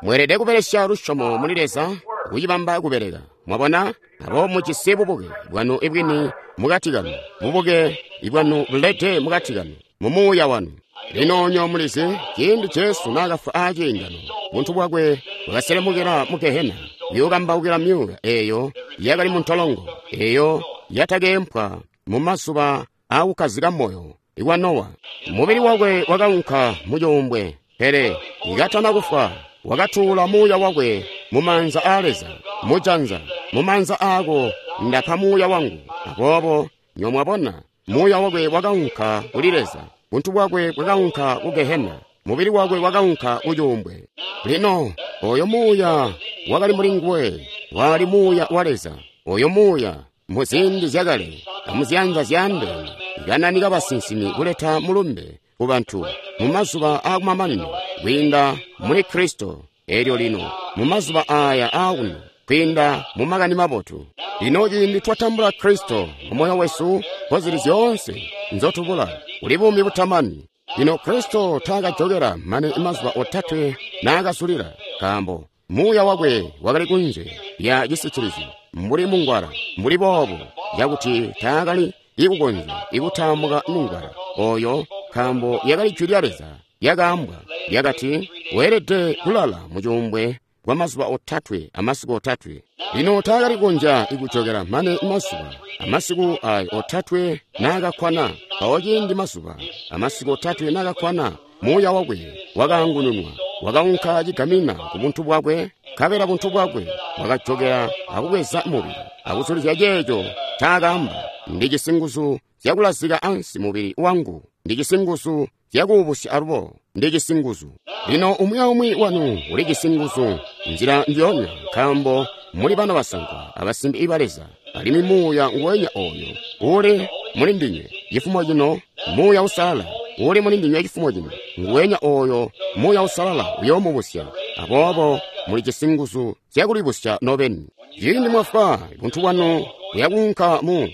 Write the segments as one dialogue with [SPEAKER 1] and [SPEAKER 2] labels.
[SPEAKER 1] Mweelede kubelesya lusyomo muli Leza kucibamba kubeleka. Mwabona? Abo mujisi bubuke bwanu bwini mukati kanu, bubuke bwanu bulede mukati kanu, mu muuya wanu. Lino nyo mulizi, ciindi Jesu naakafwa aaciingano, buntu bwakwe bwakaselemukila mu gehena, kuyokambaukila myuuya eyo yakali mu ntolongo, eyo yatakeempwa mu mazuba aakukkazika moyo kwa Nowa. Mubili wakwe wakaunka mu cuumbwe, pele katana kufwa, wakatuula muuya wakwe mu maanza aa Leza, mu janza, mu maanza aako ndapa muuya wangu. Aboobo, nyo mwabona, muuya wakwe wakaunka kuli Leza, buntu bwakwe bwakaunka ku gehena, mubili wakwe wakaunka ku cuumbwe. Lino, oyo muuya wakali muli nguwe, wali muuya wa Leza. Oyo muuya, mu ziindi zyakale, amuziyanza zyaandeene, kananika basinsimi kuleta mulumbe ku bantu mu mazuba aakumamanino kwiinda muli Kristo. Elyo lino, mu mazuba aya aakuno, kwiinda mu Makani Mabotu. Lino ciindi twatambula Kristo mu moyo wesu, kozili zyoonse nzotubula, kuli buumi butamani. Lino Kristo taakajokela mane mazuba otatwe naakazulila, nkaambo muuya wakwe wakali kunze lya cisitilizyo, mbuli mungwala, mbuli boobo, cakuti taakali ikukonzya ikutaamuka mungwala oyo, nkaambo lyakali jwi lya Leza lyakaambwa, lyakati, weelede kulala mu cuumbwe kwa mazuba otatwe amasiku otatwe. Lino taakali kukonzya ikujokela mane mazuba amasiku ayo otatwe naakakkwana. Mpawo ciindi mazuba amasiku otatwe naakakkwana, muuya wakwe wakaangununwa, wakaunka cigamina ku buntu bwakwe, nkabela buntu bwakwe bwakajokela akubweza mubili, akuzulizya ceeco ncaakaamba. Ndijisi nguzu zyakulazika ansi mubili wangu, ndijisi nguzu zyakuubusya alubo, ndijisi nguzu. Lino umwi aumwi wanu ulijisi nguzu nzila njionya, nkaambo muli bana basankwa abasimbi ba Leza, alimwi muuya nguwenya oyo uli muli ndinywe cifumo cino, Muuya Uusalala uli muli ndinywe cifumo cino, nguwenya oyo Muuya Uusalala uyoomubusya. Aboobo mulijisi nguzu zyakulibusya nobeni. Ciindi mwafwa, buntu bwanu buyakuunka mu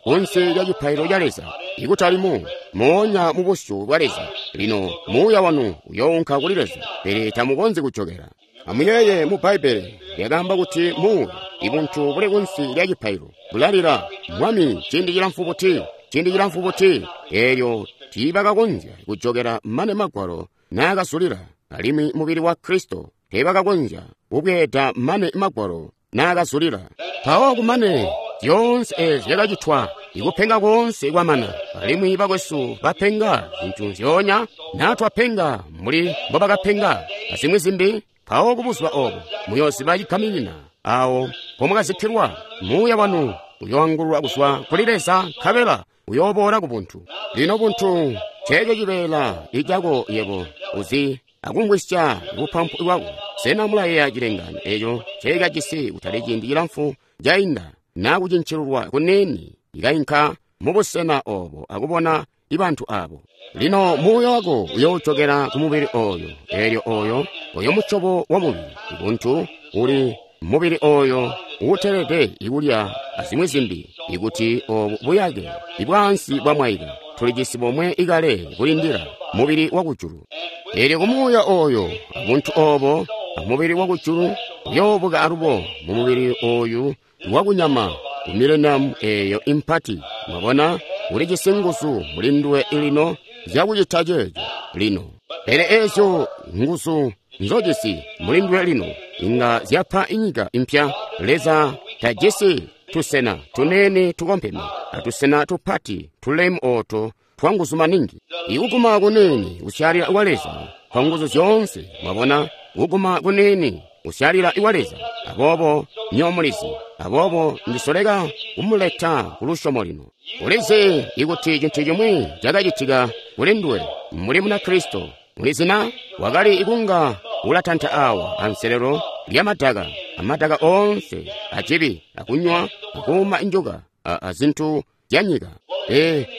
[SPEAKER 1] kunsi lya cipaililo ca Leza, ikutali mu moonya mu busyu bwa Leza. Lino muuya wanu uyounka kuli Leza, pele tamukonzyi kujokela. Amuyeeye, mu Bbaibbele lyakaamba kuti muuya, ibuntu buli kunsi lya cipaililo, bulalila, Mwami, ciindi cilamfu buti, ciindi cilamfu buti? Eelyo tiibakakonzya kujokela mane Magwalo naakazulila, alimwi mubili wa Kristo teebakakonzya kubweeda mane Magwalo naakazulila. Mpawo kumane zyoonse ezi zyakacitwa, ikupenga koonse kwamana, alimwi bakwesu bapenga zintu nzyoonya, naa twapenga mbuli mbobakapenga, azimwi zimbi. Mpawo kubuzuba obo muyooziba cigaminina awo mpomwakazikkilwa, muuya wanu uyoangululwa kuzwa kuli Leza, nkabela uyooboola ku buntu. Lino buntu nceeco cibeela icako yebo uzi akumvwisya bupampu bwako. Sena mulayeeya cilengaano eco nceekajisi kutali ciindi cilamfu cainda, naa kucincilulwa kuniini ikainka mubusena obo akubona ibantu abo? Lino muuya wako uyoojokela ku mubili oyo, elyo oyo, oyo musyobo wa mubili, buntu uli mubili oyo uutelede ikulya azimwi zimbi, ikuti obu buyake ibwaansi bwamwaika, tulijisi bomwe ikale kulindila mubili wakujulu. Elyo ku muuya oyo, abuntu obo, amubili wakujulu uyoobuka alubo mu mubili oyu wakunyama ku mileniamu eyo impati. Mwabona, ulijisi nguzu muli nduwe lino zyakucita ceeco lino. Pele ezyo nguzu nzojisi muli nduwe lino inga zyapa inyika impya. Leza tajisi tusena tuneene tukompeme atusena tupati tulemu oto twanguzu maningi. Ikuguma kuniini kusyalila kwa Leza kwa nguzu zyoonse. Mwabona, kuguma kuniini kusyalila kwa Leza. Aboobo nyo mulizi. Aboobo ndisoleka kumuleta ku lusyomo lino. Ulizi ikuti cintu cimwi cakacitika kuli nduwe mbuli Munakristo. Ulizi na wakali ikunga ulatanta awa anselelo lya madaka, amadaka oonse acibi, akunywa, akuuma njuka, a zintu zya nyika.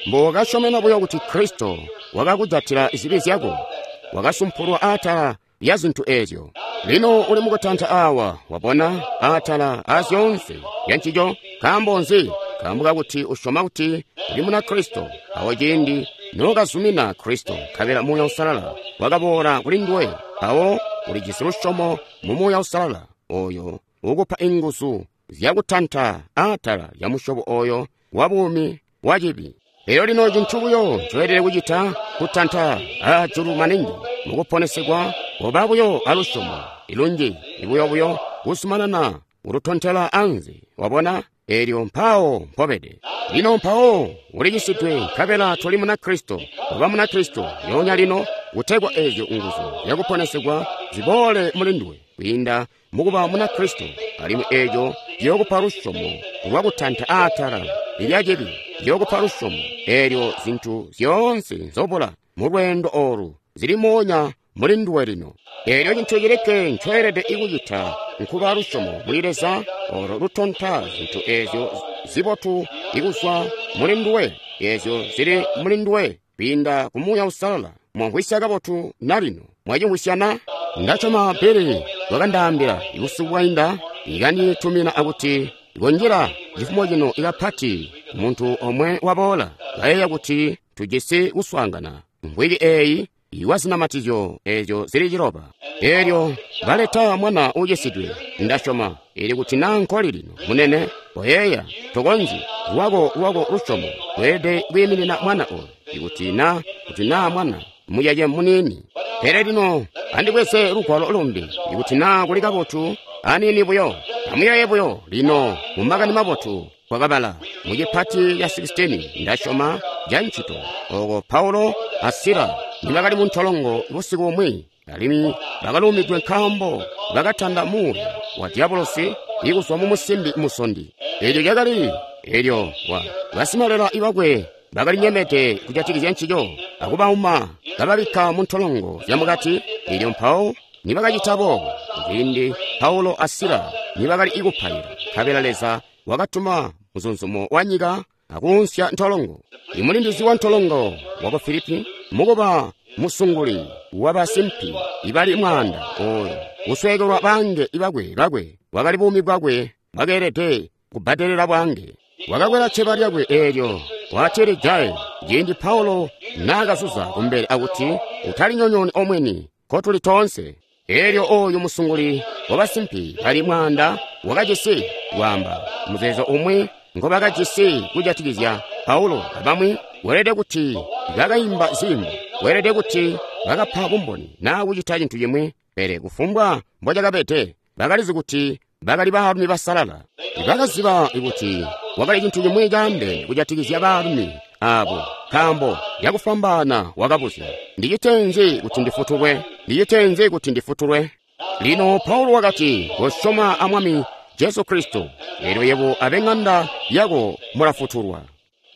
[SPEAKER 1] Mbo wakasyomena buyo kuti Kristo wakakujatila zibi zyako, wakasumpulwa atala lya zintu ezyo. Lino uli mukutanta awa, wabona, atala a zyoonse zya ncico. Nkaambo nzi? Nkaambo kakuti usyoma kuti uli Munakristo. Awo ciindi nokazumina Kristo, nkabela Muuya Uusalala wakaboola kuli nduwe, mpawo Uli jisi lusyomo mu Muuya Uusalala oyo ukupa inguzu zyakutanta aatala lya musyobo oyo wa buumi wa cibi. Elyo lino cintu buyo ncoelede kucita kutanta aajulu maningi mukuponesegwa, koba buyo alusyomo ilunji ibuyo-buyo kuzumanana kututontela anze. Wabona? Elyo mpawo mpobede. Lino mpawo ulicisidwe nkabela toli Munakristo. Oba Munakristo lyoonya lino, kutegwa ezyo nguzu zyakuponesegwa ziboole muli nduwe kwiinda mukuba Munakristo, alimwi eco ciyookupa lusyomo lwakutanta aatala lya cibi, ciyookupa lusyomo eelyo zintu zyoonse nzobula mu lweendo olu zili moonya muli nduwe lino. Eelyo cintu cilikke ncoelede kucita nkuba lusyomo muli Leza olo lutonta zintu ezyo zibotu ikuzwa muli nduwe, ezyo zili muli nduwe kwiinda ku Muuya Uusalala. Mwamvwisya kabotu na lino? Mwacimvwisya na? Ndasyoma Billy wakandaambila busiku bwainda, ikanditumina akuti konjila cifumo cino ikapati muntu omwe waboola kayeeya kuti tujisi kuswaangana mvwiki eeyi iwa zinamatizyo ezyo zili 9. Elyo baleta mwana uucisidwe, ndasyoma ili kuti naa nkoli lino munene, koyeeya tokonzyi lwako lwako lusyomo lweelede kwiiminina mwana oyo, ikuti na kuti naa mwana muyaye muniini. Pele lino andibweze lugwalo lumbi, ikuti naa kuli kabotu aniini buyo. Amuyeeye buyo lino mu Makani Mabotu kwakabala mu cipati ca 16 ndasyoma ca ncito, oko Paulo a Sila nibakali mu ntolongo busiku bumwi, alimwi bakaluumidwe nkaambo bakatanda muuya wa diabolosi ikuzwa mu musimbi musondi. Elyo cakali elyo wa basimalela bakwe bakali nyemede kujatikizya ncico, akubauma kababikka mu ntolongo zyamukati. Elyo mpawo nibakacita boobo, ciindi Paulo a Sila nibakali ikupaila, nkabela Leza wakatuma muzunzumo wa nyika akuunsya ntolongo. Imulindizi wa ntolongo waku Filipi, mukuba musunguli wabasimpi ibali mwaanda oyo kusweekelwa baange bakwe bakwe, bwakali buumi bwakwe bwakeelede kubbadelela bwaange. Wakakwela cceba lyakwe eelyo watilijaye ciindi Paulo naakazuza kumbele akuti, utalinyonyooni omweni, nkotuli toonse. Eelyo oyu musunguli wabasimpi bali mwaanda wakajisi kwaamba muzeezo umwi ngobakajisi kujatikizya Paulo abamwi, weelede kuti bakaimba ziimbo, weelede kuti bakapa bumboni naa kucita cintu cimwi, pele kufumbwa mbocakabede, bakalizi kuti bakali baalumi basalala. Bakaziba kuti wakali cintu cimwi caandeene kujatikizya baalumi abo, nkaambo cakufwambaana wakabuzya, ndicite nzi kuti ndifutulwe? Ndicite nzi kuti ndifutulwe? Lino Paulo wakati, kosyoma a Mwami Jesu Kristo, eelyo yebo abe ŋanda yako mulafutulwa.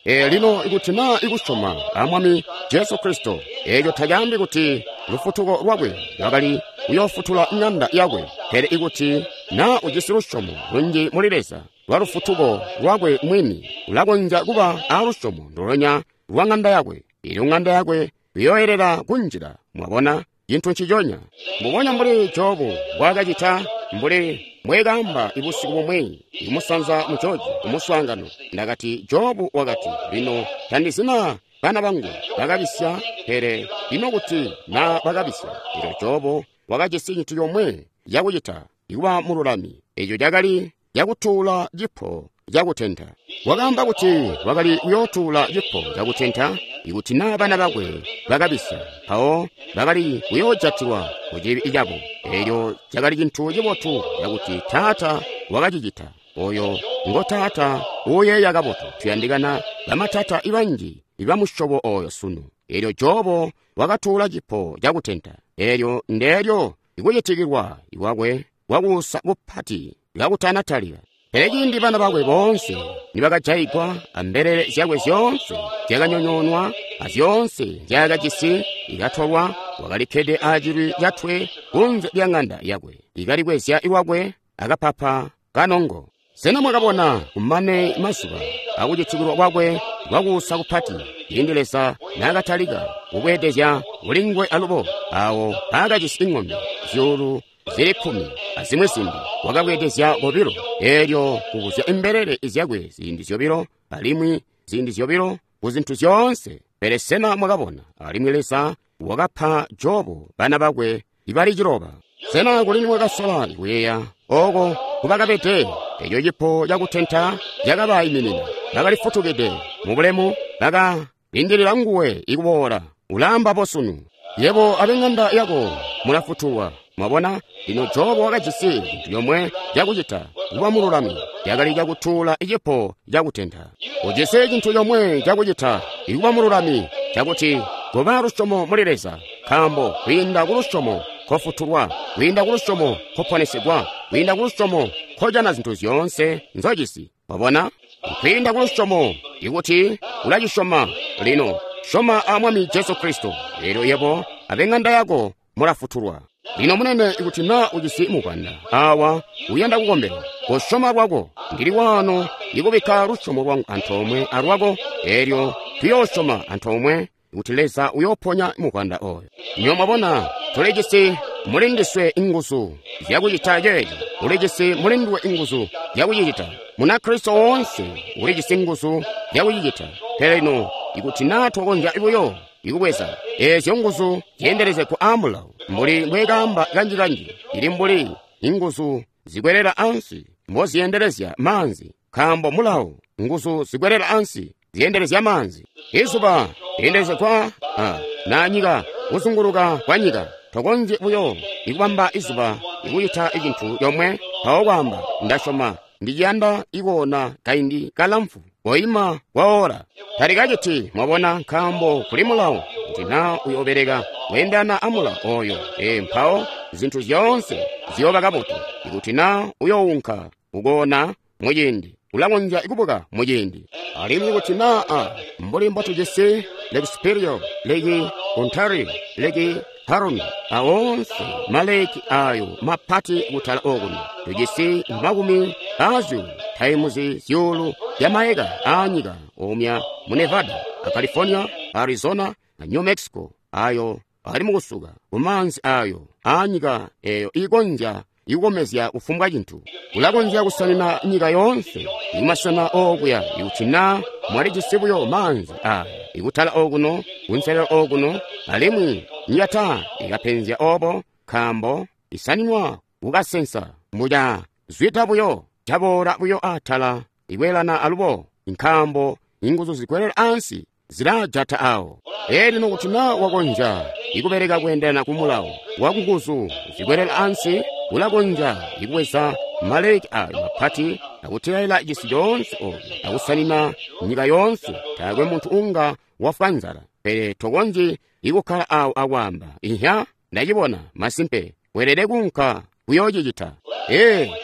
[SPEAKER 1] Lino ikuti naa ikusyoma a Mwami Jesu Kristo, eeco tacaambi kuti lufutuko lwakwe lwakali kuyoofutula ŋanda yakwe, pele ikuti naa ujisi lusyomo lunji muli Leza lwa lufutuko lwakwe mwini, ulakonzya kuba alusyomo ndulonya lwa ŋanda yakwe. Eelyo ŋanda yakwe iyooyelela kunjila. Mwabona, cintu nciconya mbubonya mbuli Jobu mbwaakacita, mbuli mbweekaamba busiku bumwi kumusanza mu Georgia kumuswaangano. Ndakati Jobu wakati, lino tandizi naa bana bangu bakabisya, pele ino kuti naa bakabisya. Elyo Jobu wakajisi cintu comwe cakucita, ikuba mululami. Eco cakali cakutuula cipo cakutenta. Wakaamba kuti wakali kuyootuula cipo cakutenta ikuti naa bana bakwe bakabisya, mpawo bakali kuyoojatilwa ku cibi cabo. Elyo cakali cintu cibotu cakuti taata wakacicita. Oyo ngo taata uuyeeya kabotu. Tuyandikana bamatata banji ibamusyobo oyo sunu. Elyo Jobo wakatuula cipo cakutenta. Elyo ndeelyo ikucitikilwa kwakwe kwakuusa kupati kakutanatalika. Pele ciindi bana bakwe boonse nibakajaigwa ambelele zyakwe zyoonse zyakanyonyoonwa azyoonse nzyaakajisi ikatolwa, wakalikkede acilwi catwe kunze lya ŋanda yakwe, ikalikwezya lwakwe akapapa kanongo. Sena mwakabona kumane mazuba akucitikilwa kwakwe kwakuusa kupati, ciindi Leza naakatalika kubweedezya kulinguwe alubo, awo paakajisi ng'ombe zyuulu zili 10 azimwi zimbi, wakabweedezya kobilo, eelyo kubuzya imbelele zyakwe ziindi zyobilo, alimwi ziindi zyobilo kuzintu zyoonse. Pele sena mwakabona, alimwi Leza wakapa Jobu bana bakwe ibali 9. Sena kuli nimwakasola kuyeeya oko kubakabede? Eco cipo cakutenta cakabayiminina. Bakali futukide mubulemu, baka lindilila nguwe ikuboola. Ulaamba bosunu, yebo ab'eng'anda yako mulafutulwa. Mwabona, lino Jobu wakajisi cintu comwe cakucita kuba mululami, cakali cakutuula cipo cakutenta. Ujisi cintu comwe cakucita ikuba mululami, cakuti kuba lusyomo muli Leza, nkaambo kwiinda ku lusyomo kofutulwa, kwiinda ku lusyomo koponesegwa, kwiinda ku lusyomo kojana zintu zyoonse nzojisi. Mwabona, kwiinda ku lusyomo, ikuti ulacisyoma lino, syoma a Mwami Jesu Kristo, elyo yebo ab'eng'anda yako mulafutulwa. Lino munene, ikuti na ujisi muvwanda awa uyanda kukombelwa, kosyoma lwako. Ndili waano ikubikka lusyomo lwangu antoomwe alwako, elyo tuyoosyoma antoomwe kuti Leza uyooponya muvwanda oyo. Nyo mwabona, tulijisi mulindiswe inguzu zyakucita ceeco. Ulijisi mulinduwe inguzu zyakucicita. Munakristo woonse ulijisi nguzu zyakucicita. Pele lino, ikuti na twakonzya buyo ikubweza eezyo nguzu zyeendelezegwa aamulawo, mbuli mbwekaamba kanji-kanji, ili mbuli inguzu zikwelela ansi mbozyeendelezya maanzi, nkaambo mulawo nguzu zikwelela ansi zyeendelezya maanzi. Izuba lyeendelezegwa na nyika, kuzunguluka kwa nyika. Tokonzyi buyo ikubamba izuba ikucita cintu comwe mpawo kwaamba, ndasyoma ndiciyanda ikoona kaindi kalamfu, koima kwaola. Talikaciti, mwabona, nkaambo kuli mulawo, kuti na uyobeleka kweendana amulawo oyo, mpawo zintu zyoonse ziyooba kabotu. Ikuti na uyounka kukoona muciindi, ulakonzya kubuka muciindi. Alimwi kuti na mbuli mbotujisi Lake Superior, Lake Ontario, Lake Huron, awoonse maleki ayo mapati kutala okuno, tujisi makumi azyuulu taimuzi zyuulu zya maeka aanyika omya mu Nevada, a California, Arizona, a New Mexico, ayo ali mukusuka kumaanzi ayo aanyika eyo ikonzya ikukomezya kufumbwa cintu. Ulakonzya kusanina nyika yoonse ikumasena okuya, ikuti na mwalijisi buyo maanzi aya ikutala okuno, kunselelo okuno, alimwi nyika ikapenzya obo, nkaambo isaninwa kukasensa mbuca zwida buyo, caboola buyo atala ikweelana alubo, nkaambo inguzu zikwelela ansi zilajata awo. Elino kuti na wakonzya ikubeleka kweendelana ku mulawo wa nguzu zikwelela ansi, ulakonzya ikubweza maleki ayo mapati akutelaela cisi coonse oyo akusanina nyika yoonse. Taakwe muntu unga wafwa nzala. Pele tokonzyi ikukkala awo akwaamba, ihya, ndacibona, masimpe, weelede kuunka kuyoocicita.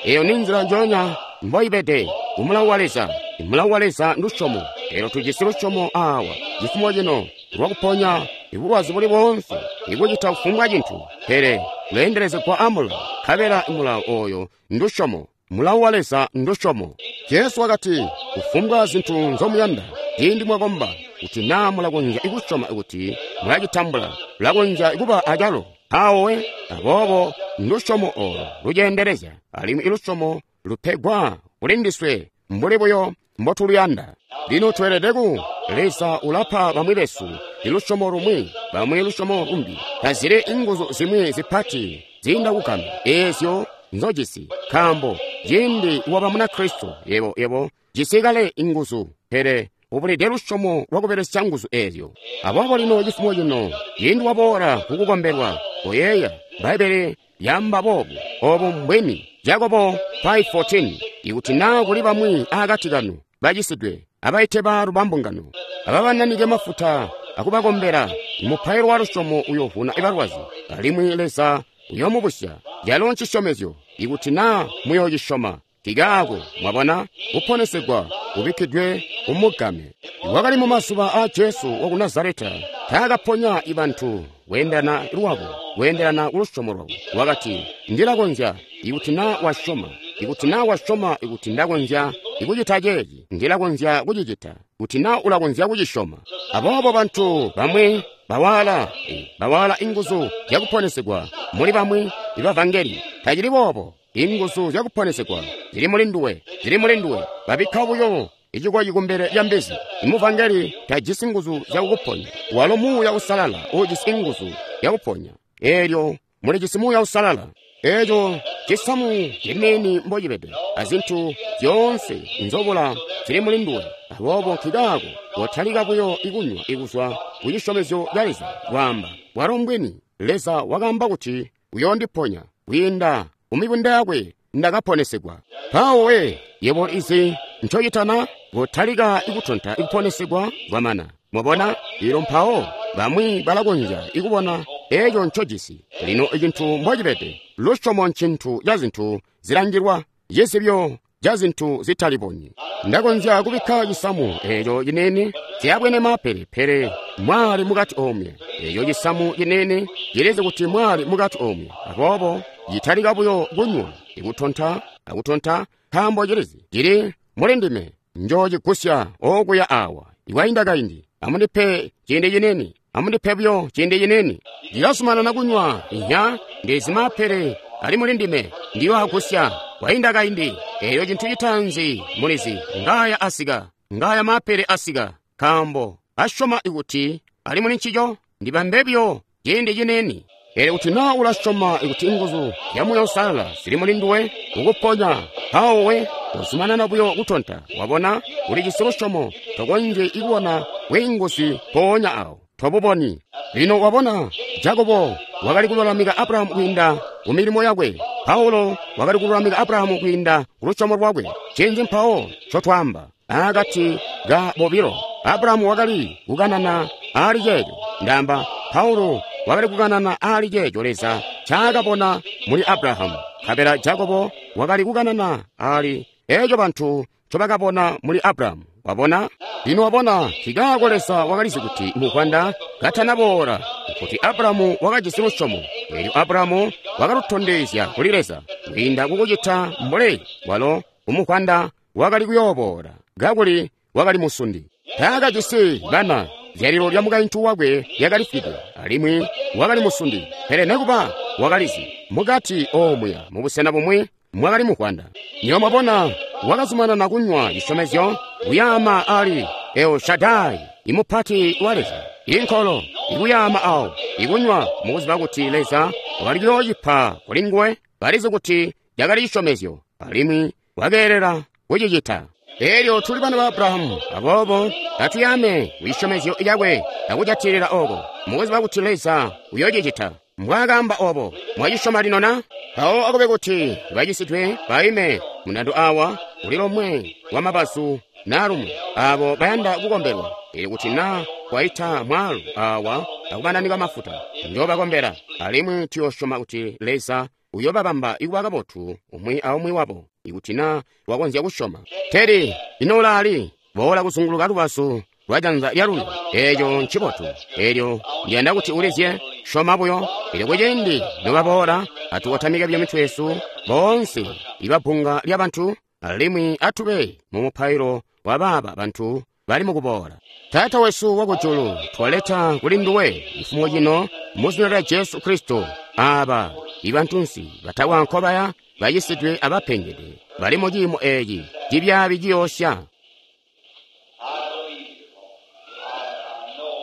[SPEAKER 1] Eyo ni nzila njonya mboibede kumulawo wa Leza. Mulawo wa Leza ndusyomo. Elyo tujisi lusyomo awa cifumo cino lwakuponya ibulwazi buli boonse, ikucita kufumbwa cintu, pele kuleendelezegwa amulawo, nkabela mulawo oyo ndusyomo. Mulawo wa Leza ndusyomo. Jesu wakati, kufumbwa zintu nzomuyanda ciindi mwakomba, kuti na mulakonzya kusyoma kuti mulacitambula, mulakonzya kuba acalo. Awe, aboobo ndusyomo olo luceendelezya, alimwi ilusyomo lupegwa kulindiswe mbuli buyo mbotuluyanda. Lino tweelede ku Leza ulapa bamwi besu ilusyomo lumwi, bamwi lusyomo lumbi. Tazili inguzu zimwi zipati ziinda kugama eezyo nzojisi, nkaambo ciindi waba Munakristo, yebo jisi kale inguzu, pele ubulide lusyomo lwakubelesya nguzu eezyo. Aboobo lino cifumo cino, ciindi waboola kukukombelwa, koyeeya Bbaibbele lyaamba boobu, obu mbwini. Jakobo 5:14, ikuti na kuli bamwi akati kanu bacisidwe, abaite baalu bambungano, ababananike mafuta akubakombela, mupailo wa lusyomo uyovuna balwazi, alimwi Leza uyomubusya. Calo ncisyomezyo, ikuti na muyoocisyoma. Kikaako, mwabona, kuponesegwa kubikkidwe kumugame. Wakali mu mazuba a Jesu waku Nazareta, taakaponya bantu kweendelana lwabo, kweendelana ku lusyomo lwabo. Wakati, ndilakonzya, ikuti na wasyoma, ikuti na wasyoma ikuti ndakonzya ikucita ceeci, ndilakonzya kucicita, kuti na ulakonzya kucisyoma. Aboobo bantu bamwi bawaala inguzu zyakuponesegwa muli bamwi ibavangeli. Tacili boobo. Inguzu zyakuponesegwa zili mulinduwe, zili mulinduwe. Babikka buyo icikoyi kumbele lya mbizi. Imuvangeli tajisi nguzu zyakukuponya. Walo Muuya Uusalala uujisi nguzu zyakuponya. Eelyo mulijisi Muuya Uusalala. Eco cisamu ciniini mbocibede, azintu zyoonse nzobula zili muli nduwe. Aboobo nkikaako kotalika buyo ikunywa ikuzwa ku cisyomezyo ca Leza, kwaamba, bwalo mbwini, Leza wakaamba kuti uyoondiponya, kwiinda ku mibunda yakwe ndakaponesegwa. Mpawo we, yebo izi ncocitana, kotalika ikutonta ikuponesegwa kwamana. Mwabona? Elyo mpawo bamwi balakonzya ikubona eco ncojisi. Lino icintu mbocibede, lusyomo ncintu ca zintu zilangilwa, cizibyo ca zintu zitalibonyi. Ndakonzya kubikka cisamu eco ciniini, siyabwene maapele, pele mwali mukati omwe. Eco cisamu ciniini cilizi kuti mwali mukati omwe. Aboobo citalika buyo kunywa, ikutonta, akutonta, nkaambo cilizi cili muli ndime. Njoocigusya okuya awa. Ikwainda kaindi, amundipe ciindi ciniini, amundipe buyo ciindi ciniini. Ndilazumanana kunywa, inya, ndizi maapele ali muli ndime, ndiyoagusya. Kwainda kaindi, eyo cintu citaanzi mulizi, ngaya asika, ngaya maapele asika, nkaambo asyoma ikuti ali muli ncico, ndibambe buyo ciindi ciniini. Pele kuti naa ulasyoma ikuti nguzu zya Muuya Uusalala zili muli nduwe, kukuponya, mpawo we uzumanana buyo kutonta. Wabona, ulijisi lusyomo, tokonzyi kubona bwiinguzi mpoonya awo, tobuboni. Lino wabona, Jakobo wakali kululamika Abrahamu kwiinda ku milimo yakwe. Paulo wakali kululamika Abrahamu kwiinda ku lusyomo lwakwe. Ncinzi mpawo ncotwaamba akati ka bobilo? Abrahamu wakali kukanana aali ceeco. Ndaamba, Paulo wakali kukanana aali ceeco Leza ncaakabona muli Abrahamu. Nkabela Jakobo wakali kukanana aali eco bantu ncobakabona muli Abrahamu. Wabona? Lino wabona, nkikaako Leza wakalizi kuti muvwanda katanaboola, kuti Abrahamu wakajisi lusyomo. Elyo Abrahamu wakalutondezya kuli Leza kwiinda kukucita mbuli walo kumuvwanda wakali kuyooboola, kakuli wakali musundi. Taakajisi bana, zyalilo lya mukaintu wakwe lyakalifwide, alimwi wakali musundi. Pele nekuba wakalizi mukati omuya mubusena bumwi mwakali muvwanda. Nywebo mwabona, wakazumanana kunywa cisyomezyo, kuyaama ali El Shaddai, imupati wa Leza, inkolo, ikuyaama awo, ikunywa mukuziba kuti Leza wakali kuyoocipa kuli nguwe. Kalizi kuti cakali cisyomezyo, alimwi wakeelela kucicita. Elyo tuli bana ba Abrahamu, aboobo atuyaame ku cisyomezyo cakwe akujatilila oko, mukuziba kuti Leza uyoocicita. Mbwaakaamba obo, mwacisyoma lino na? Mpawo akube kuti bacisidwe baime mundando awa kuli lomwe wa mabazu na lumwi, abo bayanda kukombelwa. Elyo kuti na kwaita mwaalu awa akubananika mafuta, njoobakombela, alimwi tuyoosyoma kuti Leza uyobabamba ikuba kabotu umwi aumwi wabo, ikuti na wakonzya kusyoma. Teddy, ino ulaali? Boola kuzunguluka lubazu lwa janza lyalulyo. Eco ncibotu. Elyo ndiyanda kuti ulizye, syoma buyo. Elyo kuciindi nobaboola, atukotamike buyo mitwe yesu, boonse ibabbunga lya bantu, alimwi atube mu mupailo wa baaba bantu bali mukuboola. Taata wesu wakujulu, twaleta kuli nduwe cifumo cino mu zina lya Jesu Kristo, aba ibantunsi batakwa nkobaya, bacisidwe abapengede, bali mu ciimo eci cibyaabi ciyoosya.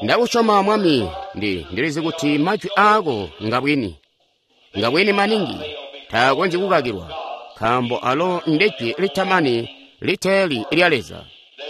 [SPEAKER 1] Ndakusyoma, Mwami, ndilizi kuti majwi aako ngabwini, ngabwini maningi, taakonzyi kukakilwa, nkaambo alo ndejwi litamani liteeli lya Leza.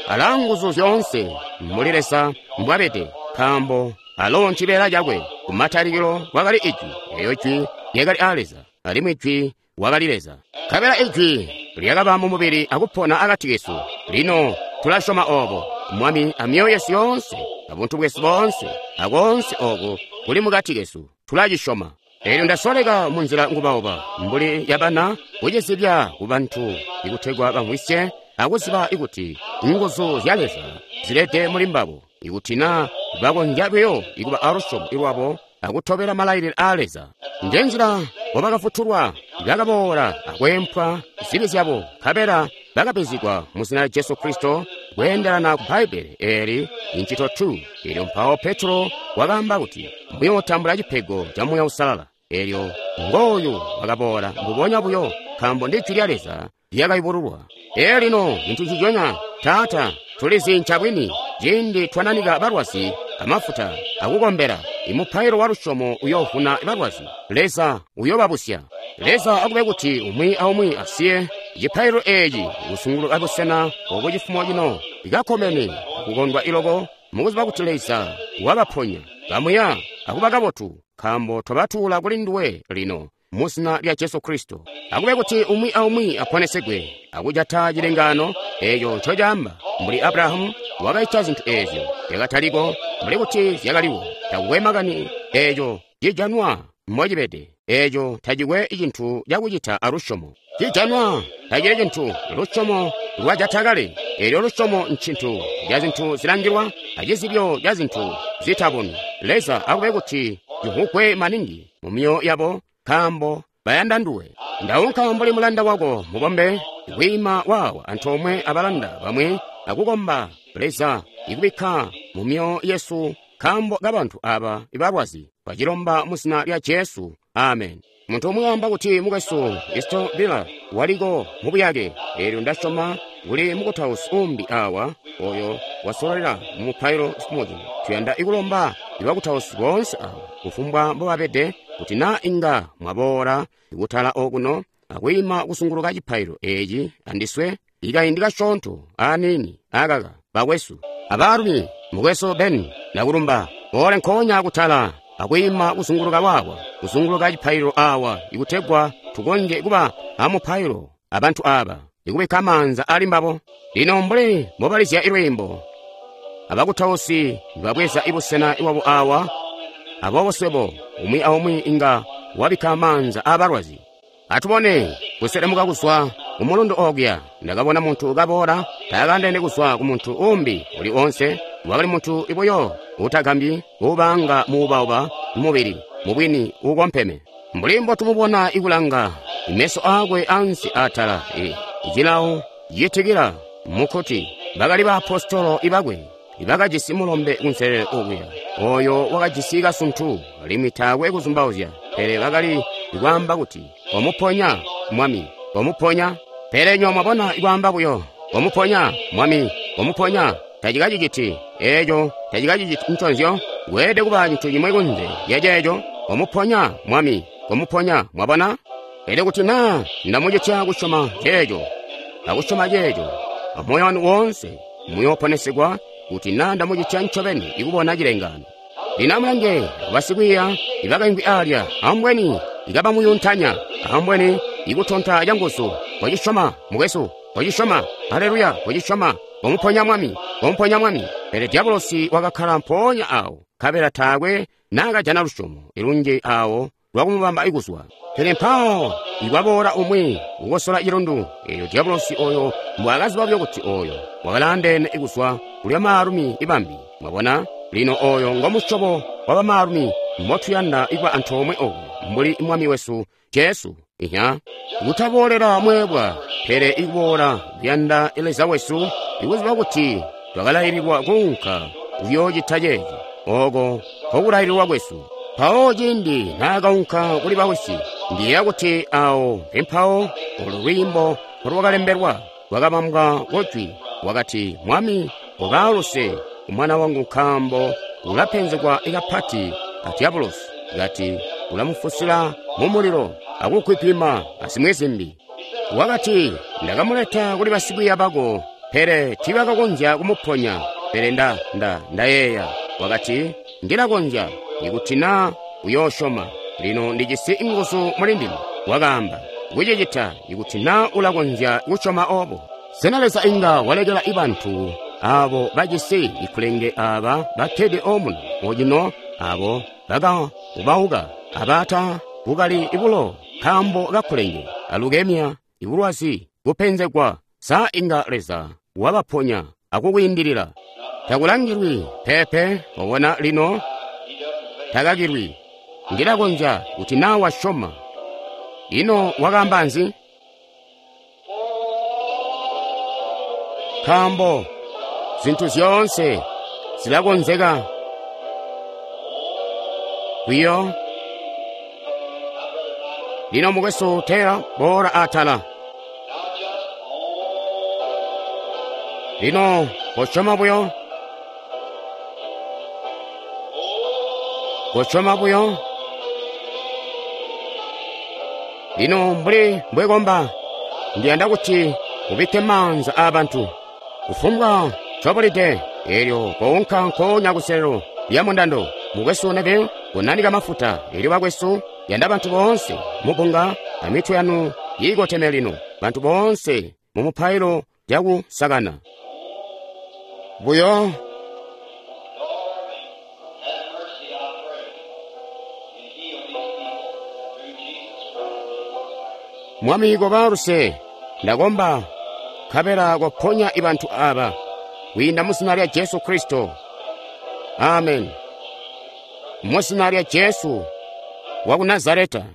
[SPEAKER 1] Alaa nguzu zyoonse muli Leza mbwabede, nkaambo alo ncibeela cakwe. Kumatalikilo kwakali Ijwi, eyo Jwi lyakali aa Leza, alimwi Jwi wakali Leza. Nkabela Ijwi lyakaba mu mubili akupona akati kesu. Lino tulasyoma obo, Mwami, a myoyo yesu yoonse, a buntu bwesu boonse, a koonse oku kuli mukati kesu, tulacisyoma. Elyo ndasoleka munzila ngubauba mbuli yabana kucizibya ku bantu ikutegwa bamvwisye akuziba ikuti nguzu zya Leza zilede muli mbabo, ikuti na bakonzya buyo ikuba alusyomo lwabo akutobela malailile aa Leza. Njenzila mbobakafutulwa, bakaboola akweempwa zibi zyabo, nkabela bakabizigwa mu zina lya Jesu Kristo kweendelana ku Bbaibbele eeli incito 2. Elyo mpawo Petro wakaamba kuti muyootambula cipego ca Muuya Uusalala. Elyo ngooyu wakaboola mbubonya buyo, nkaambo ndi Jwi lya Leza lyakayubululwa. Elyo lino cintu nciconya, Taata, tulizi ncabwini, ciindi twananika balwazi amafuta akukombela. Imupailo wa lusyomo uyoovuna balwazi. Leza uyobabusya. Leza akube kuti umwi aumwi asiye cipailo eeci kusunguluka busena obu cifumo cino ikakomene akukondwa iloko mukuziba kuti Leza wabaponya bamuya akuba kabotu, nkaambo twabatuula kuli nduwe lino mu zina lya Jesu Kristo. Akube kuti umwi aumwi aponesegwe akujata cilengaano eeco ncocaamba, mbuli Abrahamu wakaita zintu eezyo zyakataliko mbuli kuti zyakaliwo. Takukwe makani eeco cijanwa mbocibede, eeco tacikwe cintu cakucita alusyomo. Cijanwa tacili cintu, lusyomo lwajata kale. Eelyo lusyomo ncintu ca zintu zilangilwa acizibyo ca zintu zitabonwi. Leza akube kuti civugwe maningi mu myoyo yabo, nkaambo bayanda nduwe. Ndaunka mbuli mulanda wako mubombe kwiima waawa antoomwe abalanda bamwi akukomba Leza ikubikka mu myoyo yesu nkaambo kabantu aba balwazi. Twacilomba mu zina lya Jesu. Amen. Muntu umwi waamba kuti mukwesu Eston Beeler waliko mu buyake. Eelyo ndasyoma kuli mukutausi umbi awa oyo wasololela mu mupailo cifumo cino. Tuyanda ikulomba ibakutausi boonse awa kufumbwa mbobabede kuti naa inga mwaboola kutala okuno akwiima kusunguluka cipailo eeci andiswe ikaindi kasyoonto aniini akaka bakwesu abaalumi. Mukwesu Ben, ndakulumba boole nkoonya kutala akwiima kuzunguluka waawa, kuzunguluka cipaililo awa, ikutegwa tukonzye kuba amupailo abantu aba, ikubikka maanza ali mbabo. Lino mbuli mbobalizya ilwiimbo, abakutausi babweza ibusena bwabo awa, aboobo swebo umwi aumwi inga wabikka maanza aabalwazi. Atubone kuselemuka kuzwa kumulundu okuya, ndakabona muntu kaboola, taakandene kuzwa ku muntu umbi uli onse. Wakali muntu ibuyo utagambyi, ubaanga muubauba mubili, mubwini ukompeme. Mbuli mbotumubona ikulanga, meso aakwe ansi atala, cilawo citikila mukuti bakali baapostolo ibakwe ibakajisi mulombe kunselelo okuya, oyo wakajisi kasuntu, alimwi taakwe kuzumbauzya, pele bakali kwaamba kuti, "Wamuponya, Mwami, wamuponya." Pele nywa mwabona ikwaamba buyo, "Wamuponya, Mwami, wamuponya," tacikaciciti eeco, tacikaciciti nconzyo. Weelede kuba cintu cimwi kunze lya ceeco. Wamuponya, Mwami, wamuponya. Mwabona? Pele kuti naa ndamucitya kusyoma ceeco, akusyoma ceeco amoyo wanu woonse, muyooponesegwa kuti naa ndamucitya ncobeni ikubona cilengaano. Lino amulange basikwiiya ibakaimvwi alya, ambweni ikabamuyuntanya, ambweni ikutonta canguzu. Wacisyoma, mukwesu, wacisyoma, haleluya, wacisyoma, wamuponya Mwami, wamuponya Mwami. Pele diabolosi wakakkala mpoonya awo, nkabela taakwe naakajana lusyomo ilunji awo lwakumubamba ikuzwa. Pele mpawo ikwaboola umwi kukosola cilundu, eelyo diabolosi oyo mbwaakaziba buyo kuti oyo wakalaandeene kuzwa kuli bamaalumi ibambi. Mwabona? Lino oyo ngomusyobo wa bamaalumi mbotuyanda ikuba antoomwe oku mbuli Mwami wesu Jesu. Ihya, kutaboolela mweebwa, pele ikuboola kuyanda Leza wesu, ikuziba kuti twakalaililwa kuunka kuyoocita ceeci, oko nkokulaililwa kwesu. Mpawo ciindi naakaunka kuli bawisi, ndiyeeya kuti awo mpempawo olu lwiimbo lwakalembelwa, lwakabambwa kujwi, wakati, "Mwami, ubaaluse umwana wangu nkaambo ulapenzegwa kapati a diabolosi, kati ulamufusila mumulilo akukwipima azimwi zimbi." Wakati, "Ndakamuleta kuli basikwiiya bako, pele tiibakakonzya kumuponya." Pele ndayeeya. Wakati, "Ndilakonzya, ikuti naa uyoosyoma. Lino ndijisi nguzu muli ndime," wakaamba, "kucicita, ikuti naa ulakonzya kusyoma obo." Sena Leza inga walekela bantu abo bajisi ikulenge aba bakkede omuno ocino, abo bakaubauka abata bukali bulo nkaambo kakulenge, alukemia, ibulwazi, kupenzegwa, sa inga Leza wabaponya akukwiindilila? Takulangilwi pepe. Wabona lino, takakilwi. Ndilakonzya kuti naa wasyoma. Ino wakaamba nzi? Nkaambo zintu zyoonse zilakonzeka kuyo. Lino mukwesu Taylor, boola atala. Lino kosyoma buyo. Kosyoma buyo. Lino mbuli mbwekomba, ndiyanda kuti ubikke maanza aabantu. Kufumbwa ncobulide, eelyo kounka nkoonya kuselelo lya mundando. Mukwesu Neville, konanika mafuta. Elyo bakwesu, yanda bantu boonse mubunga amitwe yanu iikoteme lino. Bantu boonse mu mupailo cakusakana. Buyo. Mwami koba luse, ndakomba, nkabela koponya bantu aba, kwiinda mu zina lya Jesu Kristo. Amen. Mu zina lya Jesu waku Nazareta.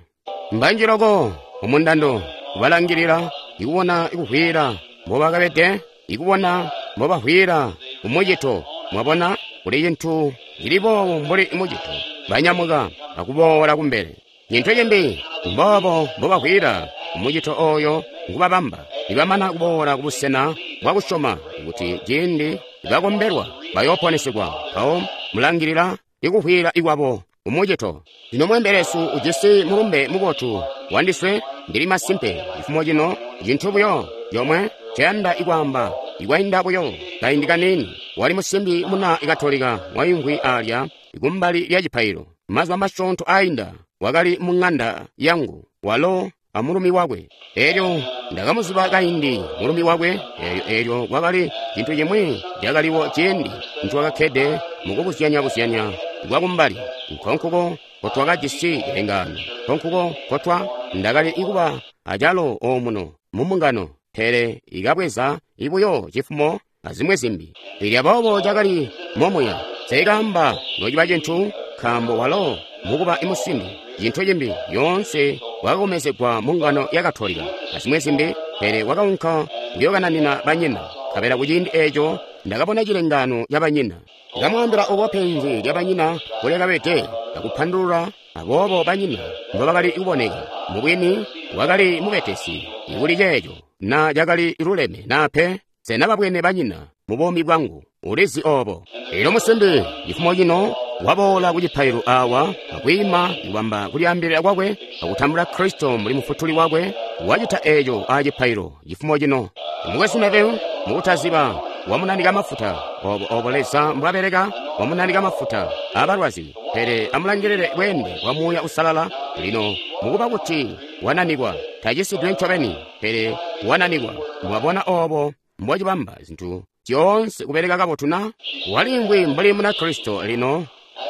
[SPEAKER 1] Mbanji loko mumundando kubalangilila, ikubona ikuvwiila mbobakabede, ikubona mbobavwiila kumucito. Mwabona, kuli cintu cili boobo mbuli mucito. Banyamuka akuboola kumbele. Cintu cimbi, mboobo mbobavwiila kumucito oyo ngubabamba. Nibamana kuboola kubusena bwakusyoma kuti ciindi bakombelwa bayooponesegwa, mpawo mulangilila ikuvwiila ikwabo kumucito. Lino mweembelesu ujisi mulumbe mubotu wandiswe. Ndili masimpe cifumo cino cintu buyo comwe nceyanda ikwaamba. Ikwainda buyo kaindi kaniini, wali musimbi muna Katolika waimvwi alya kumbali lya cipailo. Mazuba masyoonto ainda wakali mu ng'anda yangu, walo amulumi wakwe. Elyo ndakamuziba kaindi mulumi wakwe. Elyo kwakali cintu cimwi cakaliwo ciindi ntwakakkede mukubuzyanya-buzyanya kwakumbali. Nkonkuko nkotwakajisi cilengaano, nkonkuko nkotwa ndakali kuba acalo omuno mu mbungano, pele ikabweza buyo cifumo azimwi zimbi. Elyo aboobo cakali momuya. Nseekaamba nociba cintu, nkaambo walo mukuba musimbi, cintu cimbi yoonse wakakomezegwa mu ngano ya Katolika azimwi zimbi, pele wakaunka kuyookananina banyina. Nkabela kuciindi eeco ndakabona cilengaano ca banyina. Ndakamwaambila obo penzi lya banyina mbolyakabede, akupandulula aboobo banyina mbobakali kuboneka. Mubwini wakali mubetesi kuli ceeco, na cakali luleme naa pe. Sena babwene banyina mu buumi bwangu? Ulizi obo. Elyo musimbi cifumo cino waboola ku cipailo awa akwiima kubamba kulyaambilila kwakwe akutambula Kristo mbuli mufutuli wakwe. Wacita eeco a cipailo cifumo cino. Mukwesu Neville, mukutaziba, wamunanika mafuta. Obo Leza mbwabeleka, wamunanika mafuta abalwazi. Pele amulangilile bweende bwa Muuya Uusalala. Lino mukuba kuti wananikwa, tacisidwe ncobeni, pele wananikwa. Mwabona obo mbocibamba zintu zyoonse kubeleka kabotu na? Walimvwi mbuli Munakristo lino,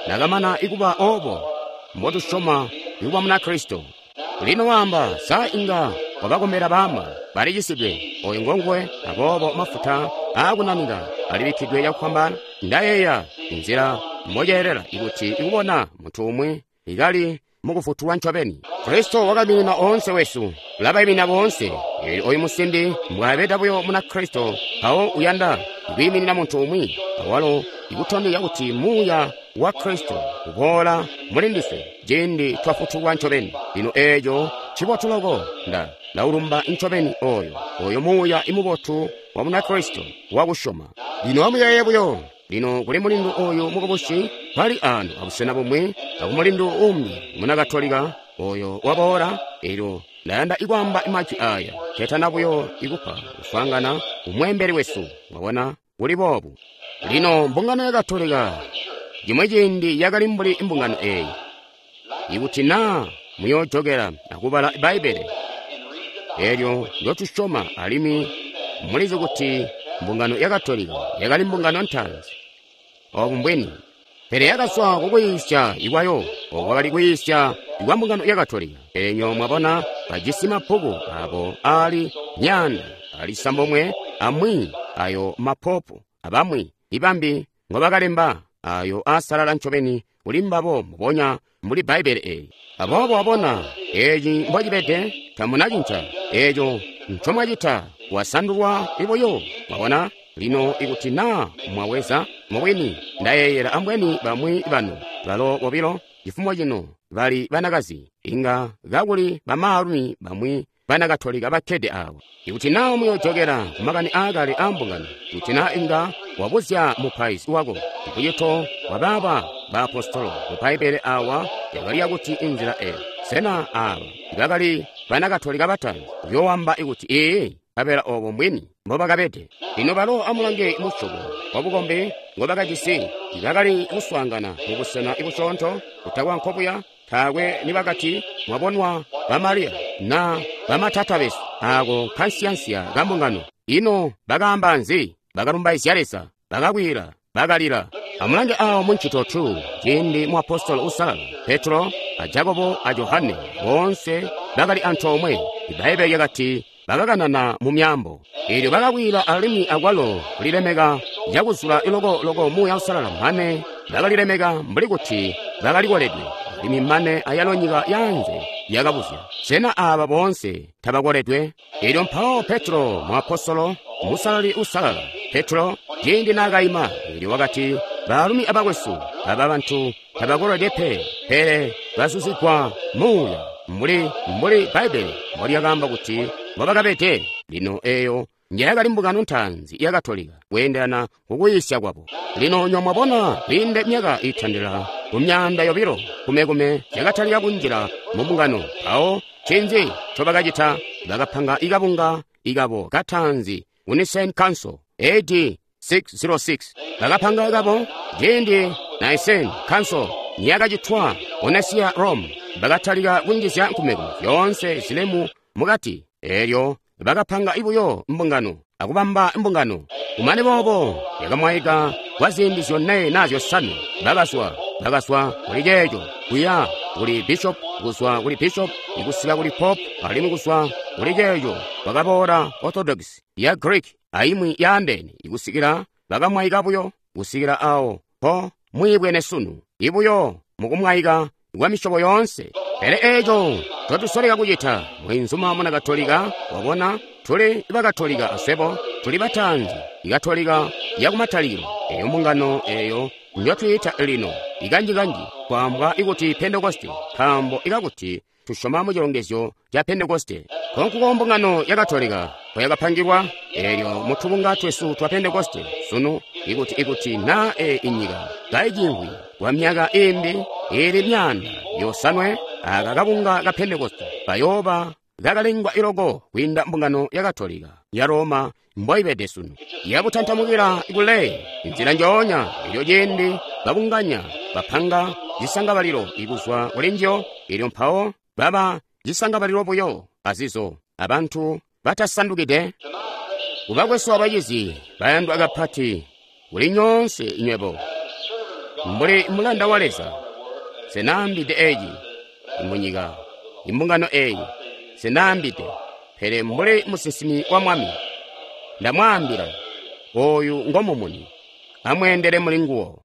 [SPEAKER 1] nakamana ikuba obo mbotusyoma ikuba Munakristo. Lino waamba, sa inga wabakombela baama balicisidwe? Oyo ngonguwe. Aboobo mafuta aakunanika alibikkidwe cakufwambaana. Ndayeeya nzila mboceelela ikuti ikubona muntu umwi ikali mukufutulwa ncobeni. Kristo wakaiminina oonse wesu, ulabaimina boonse. Elyo oyu musimbi mbwaabeda buyo Munakristo, mpawo uyanda kwiiminina muntu umwi, awalo ikutondezya kuti Muuya wa Kristo uboola muli ndiswe ciindi twafutulwa ncobeni. Lino eeco ncibotu loko. Ndaulumba ncobeni oyo Muuya imubotu wa Munakristo wakusyoma. Lino amuyeeye buyo. Lino kuli mulindu oyu mukubusi bali ano abusena bumwi, akumulindu umbi Munakatolika oyo waboola. Elyo ndayanda ikwaamba majwi aya ketana buyo ikupa kuswaangana umweembeli wesu. Mwabona, kuli boobu. Lino mbungano ya Katolika cimwi ciindi yakali mbuli mbungano eeyi. Ikuti naa muyoojokela akubala Bbaibbele elyo ndyotusyoma, alimwi mulizi kuti mbungano ya Katolika yakali mbungano ntaanzi. Obu mbwini. Pele yakazwa kukuyiisya ikwayo, obo kwakali kuyiisya ikwa mbungano ya Katolika. Pele nyo mwabona bajisi mabbuku abo aali myaanda ali sambomwe amwi ayo mapopu abamwi ibambi ngobakalemba, ayo aasalala ncobeni kuli mbabo mbubonya mbuli Bbaibbele eeli. Aboobo wabona eeci mbocibede, tamunacinca eeco ncomwacita, wasandulwa buyo. Mwabona? Lino ikuti naa mwaweza mubwini, ndayeeyela ambweni bamwi banu balo bobilo cifumo cino bali banakazi, inga kakuli bamaalumi bamwi bana Katolika bakkede awo. Ikuti na muyojokela ku makani aakale aa mbungano, ikuti na inga wabuzya mupaizi wako, mucito wa baaba baapostolo mu Bbaibbele awa yakali yakuti inzila eyo. Sena aaba bakali bana Katolika bataanzi? Uyoowamba kuti ee, nkabela obo mbwini mbobakabede. Lino balo amulange musyobo wabukombi ngobakajisi. Bakali kuswaangana mubusena busyoonto kutakwa nkobuya. Taakwe nibakati mwabonwa ba Mariya na bamatata besu. Aako nkansiyansiya ka mbungano. Ino bakaamba nzi? Bakalumbaizya Leza, bakakwiila, bakalila. Amulange awo mu Ncito 2, ciindi muapostolo uusalala Petro a Jakobo a Johane boonse bakali antoomwe. Ibbaibbele lyakati bakakanana mu myaambo. Eelyo bakakwiila alimwi akwalo kulilemeka cakuzula loko loko Muuya Uusalala mane bakalilemeka mbuli kuti bakalikoledwe. Alimwi mane ayalo nyika yaanze yakabuzya, sena aaba boonse tabakoledwe? Eelyo mpawo Petro muapostolo, musalali uusalala, Petro, ciindi naakaima, eelyo wakati, Baalumi abakwesu, aba bantu tabakoledwe pe, pele bazuzigwa Muuya, mbuli, mbuli Bbaibbele mbolyakaamba kuti mbobakabede. Lino eyo njeyakali mbungano ntaanzi ya Katolika kweendelana kukuyiisya kwabo. Lino nywebo mwabona, kwiinde myaka iitandila ku 200 kumekume zyakatalika kunjila mu mbungano. Mpawo ncinzi ncobakacita? Bakapanga kabunga kabo kataanzi ku Nicene Council, AD 606. Bakapanga kabo ciindi Nicene Council niyakacitwa ku Nicaea, Rome. Bakatalika kunjizya nkumekume zyoonse zilemu mukati. Eelyo bakapanga buyo mbungano akubamba mbungano. Kumane boobo yakamwaika kwa ziindi zyone naa zyosanwe. Bakazwa, bakazwa kuli ceeco kuya kuli bishop, kuzwa kuli bishop kusika kuli pope, alimwi kuzwa kuli ceeco kwakaboola Orthodox ya Greek aimwi yaandeene kusikila bakamwaika buyo kusikila awo mpo mwiibwene sunu, ibuyo mukumwaika kwa misyobo yoonse. Pele eeco ncotusoleka kucita, mweenzuma muna Katolika, wabona, tuli Bakatolika aswebo, tuli bataanzi, Ikatolika yakumatalikilo, eyo mbungano eyo njotwiita lino, ikanjikanji kwaambwa ikuti Pentekoste, nkaambo ikakuti tusyoma mu cilongezyo ca Pentekoste. Nkonkuko mbungano ya Katolika mpoyakapangilwa, eelyo mutubunga twesu twa Pentekoste sunu, ikuti, ikuti na e inyika kaicimvwi kwa myaka iimbi iili 700, aka kabunga ka Pentekoste kayooba kakalengwa iloko kwiinda mbungano ya Katolika ya Roma mboibede sunu. Yabutantamukila kule nzila njoonya elyo ciindi babunganya bapanga zisangabalilo ikuzwa kuli njiyo, elyo mpawo baba zisangabalilo buyo azizo abantu batasandukide. Kubakwesu abacizi bayandwa kapati kuli nyoonse nywebo, mbuli mulanda wa Leza, nsenaambide eci munyika, imbungano eyi, nsenaambide, pele mbuli musinsimi wa Mwami, ndamwaambila, oyu ngo mumuni, amweendele muli nguwo.